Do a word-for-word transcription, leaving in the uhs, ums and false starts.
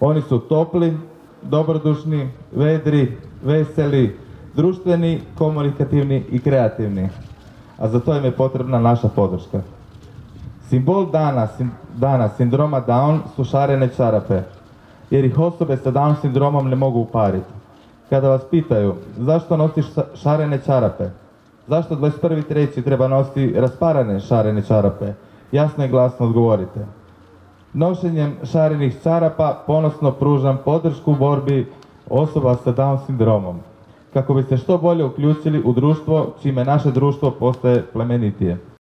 Oni su topli, dobrodušni, vedri, veseli, društveni, komunikativni i kreativni. A za to im je potrebna naša podrška. Simbol dana, dana sindroma Down su šarene čarape, jer ih osobe sa Down sindromom ne mogu upariti. Kada vas pitaju zašto nosiš šarene čarape, zašto dvadeset prvi treći treba nositi rasparane šarene čarape, jasno i glasno odgovorite. Nošenjem šarenih čarapa ponosno pružam podršku u borbi osoba sa Down sindromom, kako bi se što bolje uključili u društvo, čime naše društvo postaje plemenitije.